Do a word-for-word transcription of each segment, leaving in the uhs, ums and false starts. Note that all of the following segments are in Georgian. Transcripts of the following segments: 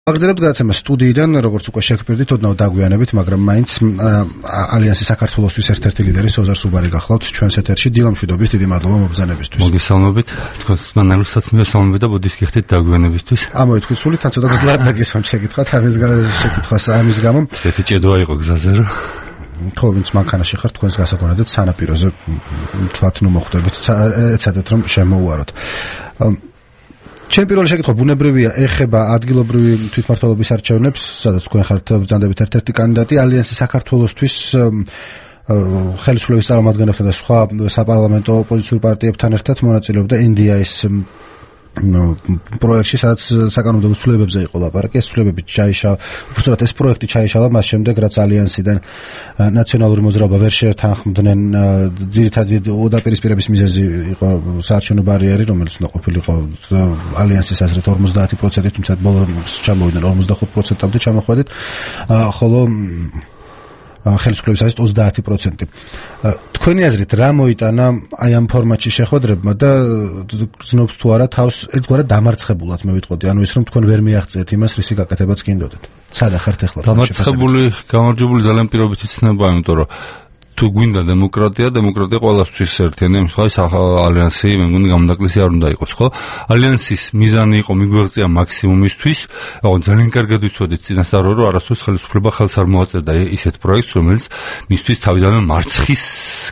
აგრძელებთ გადაცემა სტუდიიდან, როგორც უკვე შეგპირდით, ოდნავ დაგვიანებით, მაგრამ მაინც ალიანსი საქართველოსთვის ერთ-ერთი ლიდერი სოზარ სუბარი გახლავთ ჩვენს ეთერში. დილამშვიდობის, დიდი მადლობა მობრძანებისთვის. მოგესალმებით, თქვენს მანერუსაც მივესალმებით და ბოდის გიხდით დაგვიანებისთვის. ამოითქვით სული, თან ცოტა გზლად დაგისვამ შეკითხვათ, ამის შეკითხვას ამის გამო. ერთი ჭედვა იყო გზაზე რა. ხო, ვინც მანქანაში ხართ, თქვენს გასაგონადეთ სანაპიროზე თლათ ნუ მოხვდებით, ეცადეთ რომ შემოუაროთ. ჩემი პირველი შეკითხვა ბუნებრივია, ეხება ადგილობრივი თვითმმართველობის არჩევნებს, სადაც თქვენ ხართ ბრძანდებით ერთ-ერთი კანდიდატი ალიანსი საქართველოსთვის ხელისუფლების წარმომადგენლებთან და სხვა საპარლამენტო ოპოზიციურ პარტიებთან ერთად მონაწილეობდა ენ დი აის პროექტში, სადაც საკანონმდებლო ცვლილებებზე იყო ლაპარაკი. ეს ცვლილებები ჩაიშალა, უბრალოდ ეს პროექტი ჩაიშალა მას შემდეგ, რაც ალიანსიდან ნაციონალური მოძრაობა ვერ შეთანხმდნენ. ძირითადი უდაპირისპირების მიზეზი იყო საარჩევნო ბარიერი, რომელიც უნდა ყოფილიყო ალიანსის აზრით ორმოცდაათი პროცენტი, თუმცა ბოლოს ჩამოვიდნენ ორმოცდახუთ პროცენტამდე ჩამოხვედით, ხოლო ხელისუფლების აზრით ოცდაათი პროცენტი. თქვენი აზრით რა მოიტანა აი ამ ფორმატში შეხვედრებმა და გრძნობთ თუ არა თავს ერთგვარად დამარცხებულად მე ვიტყოდი, ანუ ის რომ თქვენ ვერ მიაღწიეთ იმას, რისი გაკეთებაც გინდოდეთ. სადა ხართ ახლა? დამარცხებული, გამარჯვებული ძალიან პირობით იცნება, იმიტომ რომ თუ გვინდა დემოკრატია, დემოკრატია ყველასთვის ერთიანი, ამ სხვა ალიანსი მე მგონი გამონაკლისი არ უნდა იყოს, ხო? ალიანსის მიზანი იყო მიგვეღწია მაქსიმუმისთვის, მაგრამ ძალიან კარგად ვიცოდით წინასწარ რომ არასდროს ხელისუფლება ხელს არ მოაწერდა ისეთ პროექტს, რომელიც მისთვის თავიდანვე მარცხის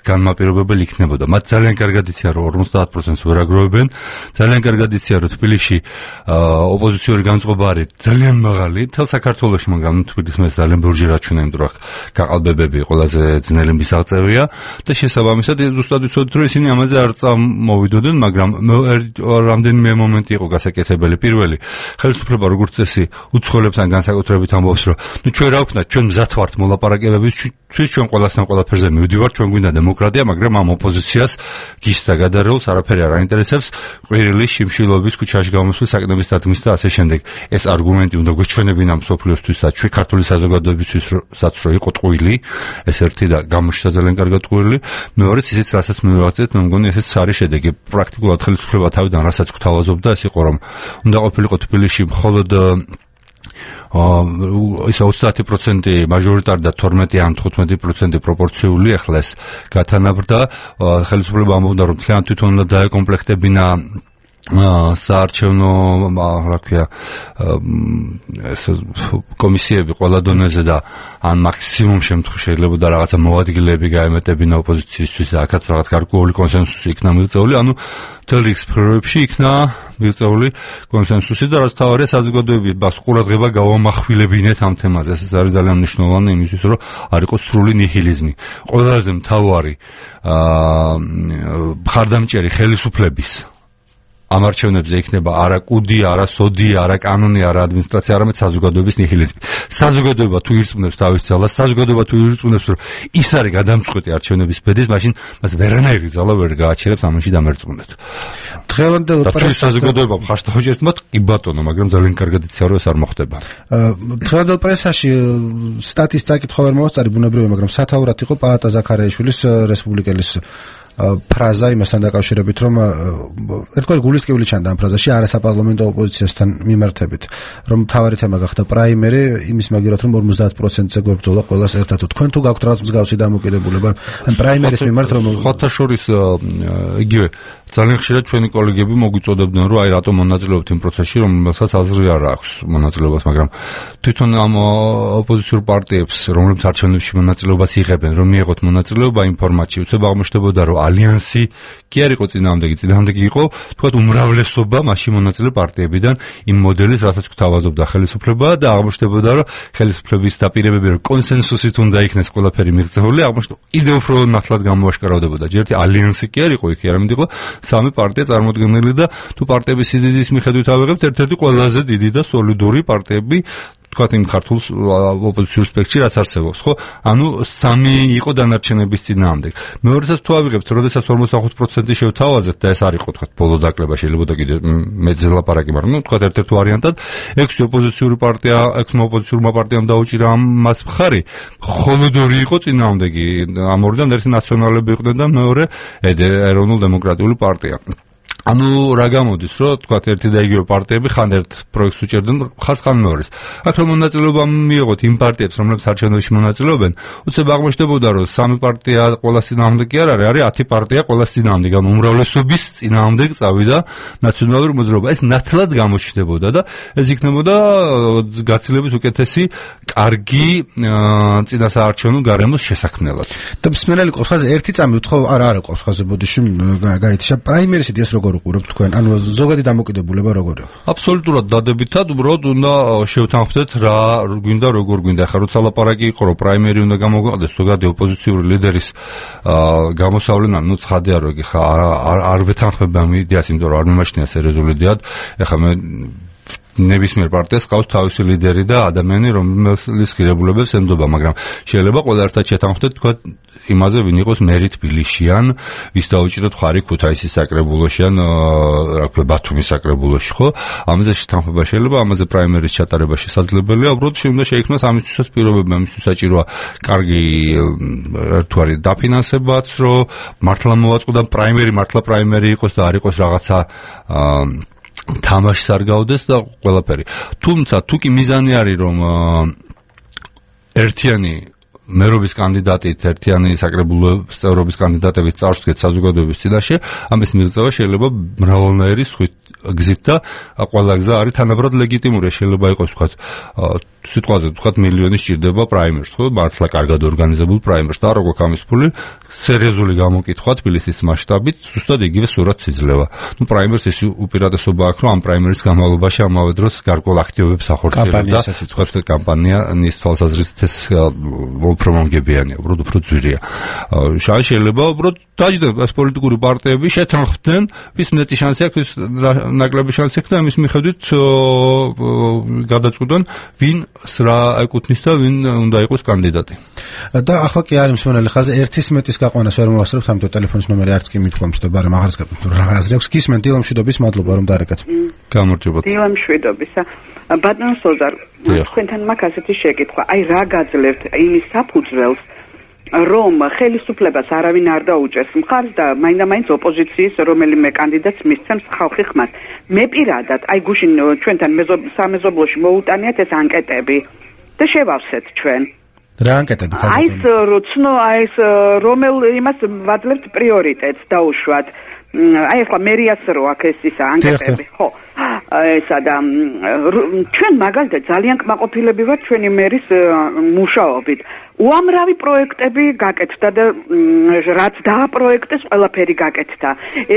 განმაპირობებელი იქნებოდა. მათ ძალიან კარგად იციან რომ ორმოცდაათ პროცენტს ვერ აგროვებენ, ძალიან კარგად იციან რომ თბილისში ოპოზიციური განწყობა არის ძალიან მაღალი, თელ საქართველოში, მაგრამ თბილისს მე ძალიან ბურჯი რაჩვენა, იმიტომ რომ გაყალბებები ყველაზე ძნელი აღწევია და შესაბამისად ზუსტად ვიცოდით რომ ისინი ამაზე არ წამოვიდოდნენ, მაგრამ რამდენიმე მომენტი იყო გასაკეთებელი. პირველი, ხელისუფლება როგორც წესი უცხოელებს ან განსაკუთრებით ამბობს რომ ნუ ჩვენ რა ვქნათ, ჩვენ მზად ვართ მოლაპარაკებებისთვის, ჩვენ ყველასთან ყველაფერზე მივდივართ, ჩვენ გვინდა დემოკრატია, მაგრამ ამ ოპოზიციას გისთა გადარეულს არაფერი არ აინტერესებს, ყვირილი შიმშილობის ქუჩაში გამოსვლის საკნების დადგმის და ასე შემდეგ. ეს არგუმენტი უნდა გვეჩვენებინა მსოფლიოსთვის და ჩვენ ქართული საზოგადოებისთვისაც რომ იყო ტყუილი, ეს ერთი და გამოჩნდა ძალიან კარგად ტყუილი. მეორეც ისიც რასაც მივაღწევთ, მე მგონი ესეც არის შედეგი. პრაქტიკულად ხელისუფლება თავიდან რასაც გვთავაზობდა, ეს იყო რომ უნდა ყოფილიყო თბილისში მხოლოდ ისა ოცდაათი პროცენტი მაჟორიტარი და თორმეტი ან თხუთმეტი პროცენტი პროპორციული, ახლა ეს გათანაბრდა. ხელისუფლება ამბობდა რომ თლიანად თვითონ უნდა დაეკომპლექტებინა საარჩევნო რა ქვია ეს კომისიები ყველა დონეზე და ან მაქსიმუმ შემთხვევაში შეიძლება და რაღაცა მოადგილეები გაემეტებინა ოპოზიციისთვის და აქაც რაღაც გარკვეული კონსენსუსი იქნა მიღწეული, ანუ მთელ რიგ სფეროებში იქნა მიღწეული კონსენსუსი და რაც თავარია საზოგადოებას ყურადღება გავამახვილებინეთ ამ თემაზე. ეს არის ძალიან მნიშვნელოვანი იმისთვის, რომ არ იყოს სრული ნიჰილიზმი. ყველაზე მთავარი მხარდამჭერი ხელისუფლების ამ არჩევნებზე იქნება არა კუდი, არა სოდი, არა კანონი, არა ადმინისტრაცია, არამედ საზოგადოების ნიჰილიზმი. საზოგადოება თუ ირწმუნებს თავის ძალას, საზოგადოება თუ ირწმუნებს რომ ის არის გადამწყვეტი არჩევნების ბედის, მაშინ მას ვერანაირი ძალა ვერ გააჩერებს ამაში დამერწმუნდეთ. დღევანდელ პრესაში საზოგადოება მხარს თავჭერს მათ კი ბატონო, მაგრამ ძალიან კარგად იციან რომ ეს არ მოხდება. დღევანდელ პრესაში სტატის წაკითხვა ვერ მოვასწარი ბუნებრივია, მაგრამ სათაურად იყო პაატა ზაქარიაშვილის რესპუბლიკელის ფრაზა იმასთან დაკავშირებით, რომ ერთგვარი გულისწყებული ჩანდა ამ ფრაზაში არასაპარლამენტო ოპოზიციასთან მიმართებით, რომ მთავარი თემა გახდა პრაიმერი, იმის მაგივრად რომ ორმოცდაათ პროცენტზე გვებრძოლა ყველას ერთად. თქვენ თუ გაქვთ რაღაც მსგავსი დამოკიდებულება ამ პრაიმერის მიმართ, რომ ხოთა შორის იგივე ძალიან ხშირად ჩვენი კოლეგები მოგვიწოდებდნენ რომ აი რატომ მონაწილეობთ იმ პროცესში, რომელსაც აზრი არ აქვს მონაწილეობას, მაგრამ თვითონ ამ ოპოზიციურ პარტიებს, რომლებიც არჩევნებში მონაწილეობას იღებენ, რომ მიიღოთ მონაწილეობა იმ ფორმატში, უცებ აღმოჩნდებოდა რომ ალიანსი კი არ იყო წინააღმდეგი, წინააღმდეგი იყო თქვათ უმრავლესობა მასში მონაწილე პარტიებიდან იმ მოდელის, რასაც გვთავაზობდა ხელისუფლება და აღმოჩნდებოდა რომ ხელისუფლების დაპირებები რომ კონსენსუსით უნდა იქნეს ყველაფერი მიღწეული, აღმოჩნდა კიდევ უფრო ნათლად გამოაშკარავდებოდა. ჯერტი ალიანსი კი არ იყო იქ, არამედ იყო სამი პარტია წარმოდგენილი და თუ პარტიების სიდიდის მიხედვით ავიღებთ, ერთ-ერთი ყველაზე დიდი და სოლიდური პარტიები თქვათ იმ ქართულ ოპოზიციურ სპექტრში რაც არსებობს, ხო? ანუ სამი იყო დანარჩენების წინააღმდეგ. მეორესაც თუ ავიღებთ, როდესაც ორმოცდახუთ პროცენტი შევთავაზეთ და ეს არ იყო თქვათ ბოლო დაკლება, შეიძლება და კიდე მეძე ლაპარაკი, მაგრამ ნუ თქვათ ერთ-ერთ ვარიანტად ექვსი ოპოზიციური პარტია, ექვსმა ოპოზიციურმა პარტიამ დაუჭირა ამას მხარი, მხოლოდ ორი იყო წინააღმდეგი, ამ ორიდან ერთი ნაციონალები იყვნენ და მეორე ეროვნულ-დემოკრატიული პარტია. ანუ რა გამოდის, რომ თქვათ ერთი და იგივე პარტიები ხან ერთ პროექტს უჭერდნენ, ხარს ხან მეორეს. აქ რომ მონაწილეობა მიიღოთ იმ პარტიებს, რომლებიც არჩევნებში მონაწილეობენ, უცებ აღმოჩნდებოდა, რომ სამი პარტია ყოველას წინააღმდეგ კი არ არის, არის ათი პარტია ყოველას წინააღმდეგ, ანუ უმრავლესობის წინააღმდეგ წავიდა ნაციონალური მოძრაობა. ეს ნათლად გამოჩნდებოდა და ეს იქნებოდა გაცილებით უკეთესი, კარგი წინასაარჩევნო გარემოს შესაქმნელად. და მსმენელი ყოხაზე ერთი წამი უთხოვ არა არა ყოხაზე ბოდიში გაითიშა პრაიმერისი ეს როგორ უყურებთ თქვენ? ანუ ზოგადი დამოკიდებულება როგორია? აბსოლუტურად დადებითად, უბრალოდ უნდა შევთანხმდეთ რა გვინდა, როგორ გვინდა. ახლა როცა ლაპარაკი იყო, რომ პრაიმერი უნდა გამოგვიყენდეს ზოგადი ოპოზიციური ლიდერის გამოსავლენა, ნუ ცხადია, რომ ხა არ არ ვეთანხმებ ამ იდეას, იმიტომ რომ არ მიმაჩნია სერიოზული იდეად. ახლა მე ნებისმიერ პარტიას ყავს თავისი ლიდერი და ადამიანი, რომელის ღირებულებებს ემდობა, მაგრამ შეიძლება ყველა ერთად შეთანხმდეთ, თქვა იმაზე, ვინ იყოს მერი თბილისში ან ვის დაუჭიროთ ხარი ქუთაისის საკრებულოში ან რა ქვია ბათუმის საკრებულოში, ხო? ამაზე შეთანხმება შეიძლება, ამაზე პრაიმერის ჩატარება შესაძლებელია, უბრალოდ უნდა შეიქმნას ამისთვისაც პირობები, ამისთვის საჭიროა კარგი ერთგვარი დაფინანსებაც, რომ მართლა მოვაწყდა პრაიმერი, მართლა პრაიმერი იყოს და არ იყოს რაღაცა თამაშს არ გავდეს და ყველაფერი. თუმცა თუ კი მიზანი არის, რომ ერთიანი მერობის კანდიდატით, ერთიანი საკრებულოს წევრობის კანდიდატებით წარსდგეთ საზოგადოების წინაშე, ამის მიღწევა შეიძლება მრავალნაირი გზით და ყველა გზა არის თანაბრად ლეგიტიმური. შეიძლება იყოს ვთქვათ სიტყვაზე ვთქვათ მილიონი სჭირდება პრაიმერს, ხო? მართლა კარგად ორგანიზებულ პრაიმერს და არ აქვს ამის ფული, სერიოზული გამოკითხვა თბილისის მასშტაბით, ზუსტად იგივე სურათს იძლევა. ნუ პრაიმერს ის უპირატესობა აქვს, რომ ამ პრაიმერის განმავლობაში ამავე დროს გარკვეულ აქტივობებს ახორციელებს და ვთქვათ კამპანიის თვალსაზრისით ეს უფრო მომგებიანია, უბრალოდ უფრო ძვირია. შეიძლება უბრალოდ დაждდეთ ეს პოლიტიკური პარტიები შეთანხმდნენ, ვის მეტი შანსი აქვს, ვის ნაკლები შანსი აქვს და ამის მიხედვით გადაწყვეტონ ვინ რა ეკუთვნის და ვინ უნდა იყოს კანდიდატი. და ახლა კი არის მსმენელი ხაზი ერთის მეტის გაყვანას ვერ მოვასწრებთ, ამიტომ ტელეფონის ნომერი არც კი მithქვამთ და ბარემ აღარც გაკეთებთ რა აზრი აქვს. გისმენთ დილა მშვიდობის, მადლობა რომ დარეკეთ. გამარჯობათ. დილა მშვიდობისა. ბატონ სოზარ, თქვენთან მაქვს ასეთი შეკითხვა. აი რა გაძლევთ იმის საფუძველს, რომ ხელისუფლებას არავინ არ დაუჭერს მხარს და მაინდა-მაინც ოპოზიციის რომელიმე კანდიდატს მისცემს ხალხი ხმას. მე პირადად, აი გუშინ ჩვენთან სამეზობლოში მოუტანიათ ეს ანკეტები და შევავსეთ ჩვენ. რა ანკეტები? აი ეს როცნო, აი ეს რომელ იმას ვადლებთ პრიორიტეტს დაუშვათ. აი ახლა მერიას რო აქ ეს ისა ანკეტები, ხო? ესა და ჩვენ მაგალითად ძალიან კმაყოფილები ვართ ჩვენი მერის მუშაობით. უამრავი პროექტები გაკეთდა და რაც დააპროექტეს ყველაფერი გაკეთდა.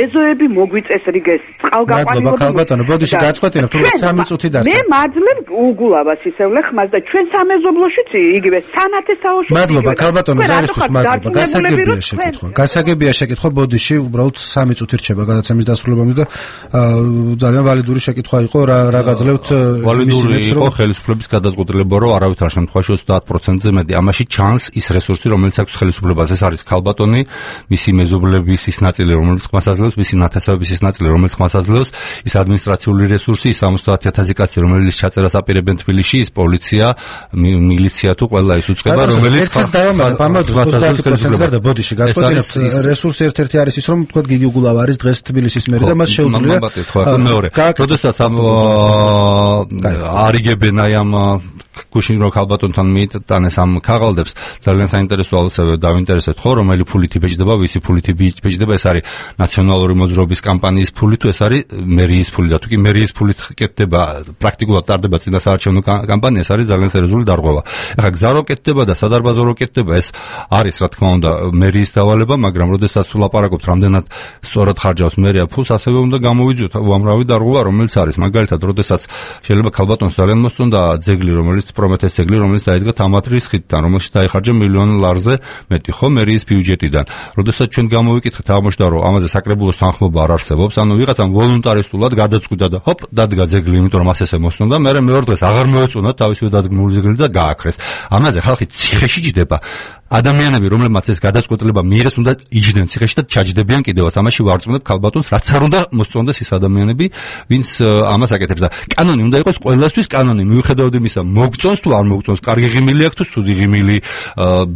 ეზოები მოგვიწესრიგეს, წყალგაყვანილობა. მადლობა ქალბატონო, ბოდიში გაწყვეტინებთ, თუმცა სამი წუთი დარჩა. მე მაძლევ უგულავას ისევლე ხმას და ჩვენ სამეზობლოშიც იგივე სანათესაოში. მადლობა ქალბატონო, ზარისთვის მადლობა. გასაგებია შეკითხვა. გასაგებია შეკითხვა, ბოდიში უბრალოდ სამი წუთი რჩება გადაცემის დასრულებამდე და ძალიან ვალიდური შეკითხვა იყო, რა რა გაძლევთ ვალიდური იყო ხელისუფლების გადაწყვეტილება, რომ არავითარ შემთხვევაში ოცდაათ პროცენტზე მეტი ამაში ჩანს ის რესურსი, რომელიც აქვს ხელისუფლებას. ეს არის ქალბატონი, მისი მეზობლების ის ნაწილი, რომელიც ხმას აძლევს, მისი ნათესავების ის ნაწილი, რომელიც ხმას აძლევს, ის ადმინისტრაციული რესურსი, ის სამოცდაათი ათასი კაცი, რომელიც ჩაწერას აპირებენ თბილისში, ის პოლიცია, მილიცია თუ ყველა ის უწყება, რომელიც ხმას დავამატებ, ამავდროულად ოცდაათი პროცენტი გარდა ბოდიში გაწყვეტინებთ, რესურსი ერთ-ერთი არის ის, რომ თქვა გიგი უგულავა არის დღეს თბილისის მერი და მას შეუძლია მეორე. როდესაც არიგებენ აი ამ გუშინ რო ქალბატონთან მიიტანეს ამ ქაღალდებს, ძალიან საინტერესო ალოცავე დავინტერესეთ, ხო, რომელი ფულით იბეჭდება, ვისი ფულით იბეჭდება, ეს არის ნაციონალური მოძრაობის კამპანიის ფული თუ ეს არის მერიის ფული და თუ კი მერიის ფულით კეთდება, პრაქტიკულად ტარდება წინასაარჩევნო კამპანია, ეს არის ძალიან სერიოზული დარღვევა. ეხლა გზა რო კეთდება და სადარბაზო რო კეთდება, ეს არის რა თქმა უნდა მერიის დავალება, მაგრამ როდესაც ვლაპარაკობთ რამდენად სწორად ხარჯავს მერია ფულს, ასევე უნდა გამოვიძიოთ უამრავი დარღვევა, რომელიც არის. მაგალითად, როდესაც შეიძლება ქალბატონს ძალიან მოსწონდა ძეგლი, რომელიც პრომეთეს ძეგლი, რომელიც დაიდგა თამათრის ხიდთან, რომელშიც დაიხარჯა მილიონ ლარზე მეტი, ხო, მერიის ბიუჯეტიდან. როდესაც ჩვენ გამოვიკითხეთ, აღმოჩნდა, რომ ამაზე საკრებულოს თანხმობა არ არსებობს, ანუ ვიღაცამ ვოლუნტარისტულად გადაწყვიტა და ჰოპ, დადგა ძეგლი, იმიტომ რომ ასესე მოსწონდა, მერე მეორე დღეს აღარ მოეწონა თავისივე დადგმული ძეგლი და გააქრეს. ამაზე ხალხი ციხეში ჯდება. ადამიანები, რომლებმაც ეს გადაწყვეტილება მიიღეს, უნდა იჯდნენ ციხეში და ჩაჯდებიან კიდევაც. ამაში ვარწმუნებ ქალბატონს, რაც არ უნდა მოსწონდეს ის ადამიანები, ვინც ამას აკეთებს და კანონი უნდა იყოს ყველასთვის კანონი, მიუხედავად იმისა, მოგწონს თუ არ მოგწონს, კარგი ღიმილი აქვს თუ ცუდი ღიმილი,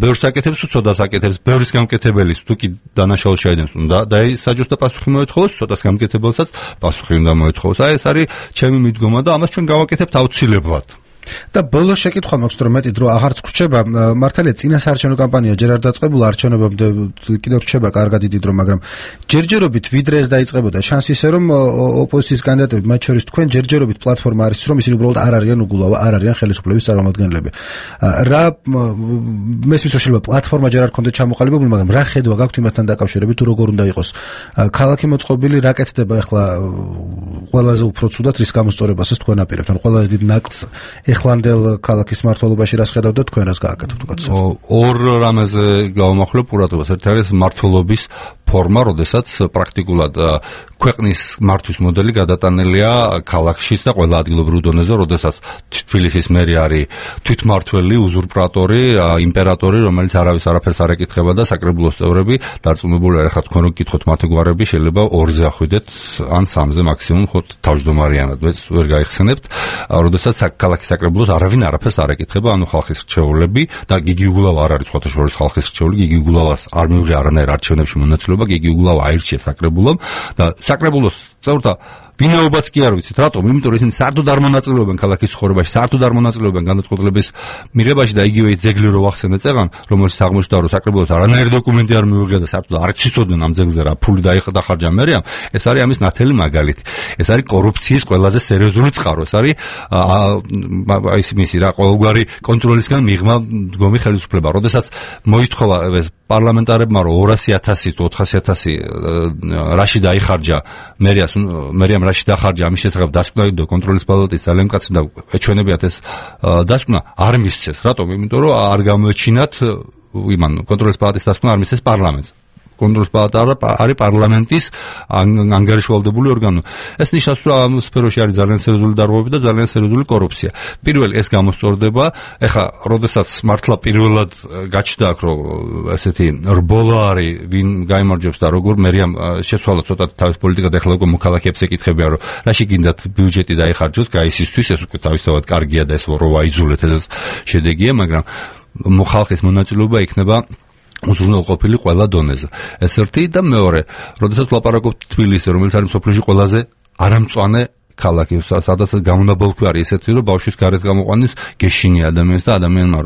ბევრს აკეთებს თუ ცოტას აკეთებს, ბევრის გამკეთებელის თუ კი დანაშაულს შეედენს, უნდა დაისაჯოს და პასუხი მოეთხოვოს, ცოტას გამკეთებელსაც პასუხი უნდა მოეთხოვოს. აი ეს არის ჩემი მიდგომა და ამას ჩვენ გავაკეთებთ აუცილებლად. და ბოლოს შეკითხვა მაქვს, რომ მეტი დრო აღარც გრჩება, მართალია წინა საარჩევნო კამპანია ჯერ არ დაწყებულა, არჩევნებამდე კიდევ რჩება კარგად დიდი დრო, მაგრამ ჯერჯერობით ვიდრე ეს დაიწყებოდა, შანს ისე რომ ოპოზიციის კანდიდატები, მათ შორის თქვენ ჯერჯერობით პლატფორმა არის, რომ ისინი უბრალოდ არ არიან უგულავ, არ არიან ხელისუფლების წარმომადგენლები. რა მესმის რომ შეიძლება პლატფორმა ჯერ არ ქონდეთ ჩამოყალიბებული, მაგრამ რა ხედვა გაქვთ იმასთან დაკავშირებით, თუ როგორ უნდა იყოს ქალაქი მოწყობილი, რა კეთდება ახლა ყველაზე უფრო ცუდად რის გამოსწორებასაც თქვენ აპირებთ, ან ყველაზე დიდ ნაკლს ეხლანდელ ქალაქის მმართველობაში რას ხედავდა თქვენ რას გააკეთებთ უკაცრავ? ორ რამეზე გავამახვილებ ყურადღებას. ერთი არის მმართველობის ფორმა, როდესაც პრაქტიკულად ქვეყნის მართვის მოდელი გადატანილია ქალაქშიც და ყველა ადგილობრივ დონეზე, როდესაც თბილისის მერი არის თვითმმართველი, უზურპატორი, იმპერატორი, რომელიც არავის არაფერს არ ეკითხება და საკრებულოს წევრები დარწმუნებული არ ხართ თქვენ რომ გკითხოთ მათი გვარები, შეიძლება ორზე ახვიდეთ ან სამზე მაქსიმუმ ხო თავმჯდომარიანად, ვეც ვერ გაიხსენებთ, როდესაც ქალაქის საკრებულოს არავინ არაფერს არ ეკითხება, ანუ ხალხის რჩეულები და გიგი უგულავა არ არის სხვათა შორის ხალხის რჩეული, გიგი უგულავას არ მიუღია არანაირ არჩევნებში მონაწილეობა, გიგი უგულავა აირჩიეს საკრებულომ და საკრებულოს წევრთა ვინაობაც კი არ ვიცით, რატომ? იმიტომ რომ ისინი საერთოდ არ მონაწილეობენ ქალაქის ცხოვრებაში, საერთოდ არ მონაწილეობენ განაცხადების მიღებაში და იგივე ძეგლი რო ვახსენე წეღან, რომელიც აღმოჩნდა რომ საკრებულოს არანაირი დოკუმენტი არ მიუღია და საერთოდ არ ციცოდნენ ამ ძეგლზე რა ფული დაიხარჯა მერიამ, ეს არის ამის ნათელი მაგალითი. ეს არის კორუფციის ყველაზე სერიოზული წყარო, ეს არის აი მისი რა ყოველგვარი კონტროლისგან მიღმა მდგომი ხელისუფლება. როდესაც მოითხოვა ეს პარლამენტარებმა რომ ორასი ათასი თუ ოთხასი ათასი რაში დაიხარჯა მერიას მერიამ რაში დახარჯა ამის შესახებ დასკვნა და კონტროლის პალატის ძალიან მკაცრი და ეჩვენებიათ ეს დასკვნა არ მისცეს. რატომ? იმიტომ რომ არ გამოეჩინათ იმან კონტროლის პალატის დასკვნა არ მისცეს პარლამენტს. კონტროლის პალატა არის პარლამენტის ანგარიშვალდებული ორგანო. ეს ნიშნავს, რომ ამ სფეროში არის ძალიან სერიოზული დარღვევები და ძალიან სერიოზული კორუფცია. პირველ ეს გამოსწორდება, ეხა, როდესაც მართლა პირველად გაჩნდა აქ, რომ ესეთი რბოლა არის, ვინ გაიმარჯვებს და როგორ მერიამ შეცვალა ცოტა თავის პოლიტიკად, ეხლა უკვე მოქალაქეებს ეკითხებიან, რომ რაში გინდათ ბიუჯეტი დაიხარჯოს გაისისთვის, ეს უკვე თავისთავად კარგია და ეს რო აიძულეთ, ეს შედეგია, მაგრამ ხალხის მონაწილეობა იქნება უზრუნველყოფილი ყველა დონეზე. ეს ერთი და მეორე, როდესაც ვლაპარაკობთ თბილისზე, რომელიც არის მსოფლიოში ყველაზე არამწვანე ქალაქი, სადაც გამონაბოლქვი არის ესეთი, რომ ბავშვის გარეთ გამოყვანის გეშინი ადამიანს და ადამიანმა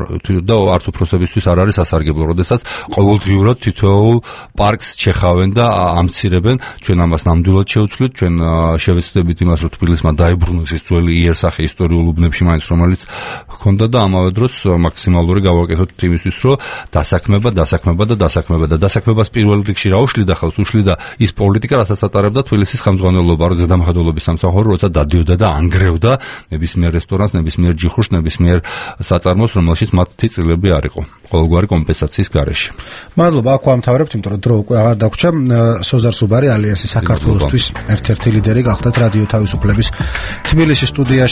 და არც უფროსებისთვის არ არის სასარგებლო, როდესაც ყოველდღიურად თითოეულ პარკს ჩეხავენ და ამცირებენ. ჩვენ ამას ნამდვილად შევცვლით, ჩვენ შევეცდებით იმას, რომ თბილისმა დაიბრუნოს ის ძველი იერსახე ისტორიულ უბნებში მაინც, რომელიც ჰქონდა და ამავე დროს მაქსიმალური გავაკეთოთ იმისთვის, რომ დასაქმება, დასაქმება და დასაქმება და დასაქმებას პირველ რიგში რა უშლიდა ხელს, უშლიდა ის პოლიტიკა, რასაც ატარებდა თბილისის ხელმძღვანელობა, რომ ზედამხედველობის სამსახური დადიოდა და ანგრევდა ნებისმიერ რესტორანს, ნებისმიერ ჯიხურს, ნებისმიერ საწარმოს, რომელშიც მათი წილები არ იყო ყოველგვარი კომპენსაციის გარეშე. მადლობა, აქ ვამთავრებთ, იმიტომ რომ დრო უკვე აღარ დაგვრჩა. სოზარ სუბარი, ალიანსის საქართველოსთვის ერთ-ერთი ლიდერი გახდათ რადიო თავისუფლების თბილისის სტუდიაში.